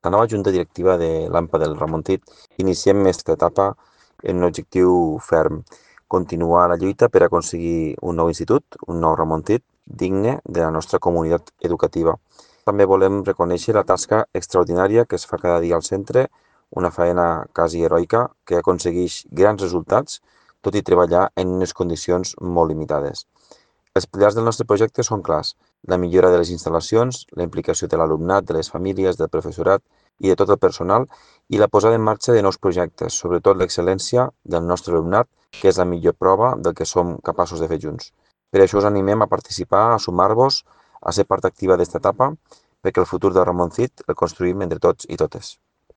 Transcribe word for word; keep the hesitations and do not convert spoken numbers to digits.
La nova junta directiva de l'AMPA del Ramontit iniciem aquesta etapa en un objectiu ferm: continuar la lluita per aconseguir un nou institut, un nou Ramontit, digne de la nostra comunitat educativa. També volem reconèixer la tasca extraordinària que es fa cada dia al centre, una feina quasi heroica que aconsegueix grans resultats, tot i treballar en unes condicions molt limitades. Els pilars del nostre projecte són clars: la millora de les instal·lacions, la implicació de l'alumnat, de les famílies, del professorat i de tot el personal, i la posada en marxa de nous projectes, sobretot l'excel·lència del nostre alumnat, que és la millor prova del que som capaços de fer junts. Per això us animem a participar, a sumar-vos, a ser part activa d'esta etapa, perquè el futur de Ramoncit el construïm entre tots i totes.